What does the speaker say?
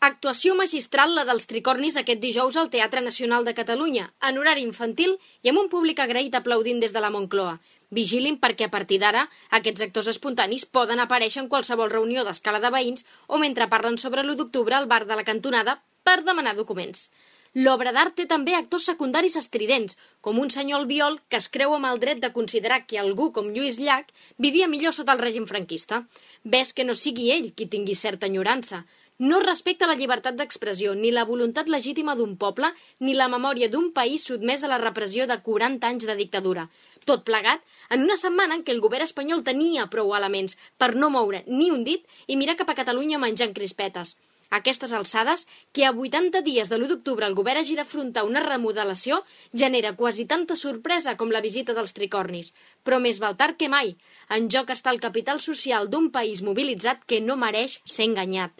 Actuació magistral la dels Tricornis aquest dijous al Teatre Nacional de Catalunya, en horari infantil i amb un públic agraït aplaudint des de la Moncloa. Vigilin perquè a partir d'ara aquests actors espontanis poden aparèixer en qualsevol reunió d'escala de veïns o mentre parlen sobre l'1 d'octubre al bar de la cantonada per demanar documents. L'obra d'art té també actors secundaris estridents, com un senyor albiol que es creu amb el dret de considerar que algú com Lluís Llach vivia millor sota el règim franquista. Ves que no sigui ell qui tingui certa enyorança. No respecta la llibertat d'expressió, ni la voluntat legítima d'un poble, ni la memòria d'un país sotmès a la repressió de 40 anys de dictadura. Tot plegat en una setmana en què el govern espanyol tenia prou elements per no moure ni un dit i mirar cap a Catalunya menjant crispetes. A aquestes alçades, que a 80 dies de l'1 d'octubre el govern hagi d'afrontar una remodelació genera quasi tanta sorpresa com la visita dels Tricornis. Però més val tard que mai. En joc està el capital social d'un país mobilitzat que no mereix ser enganyat.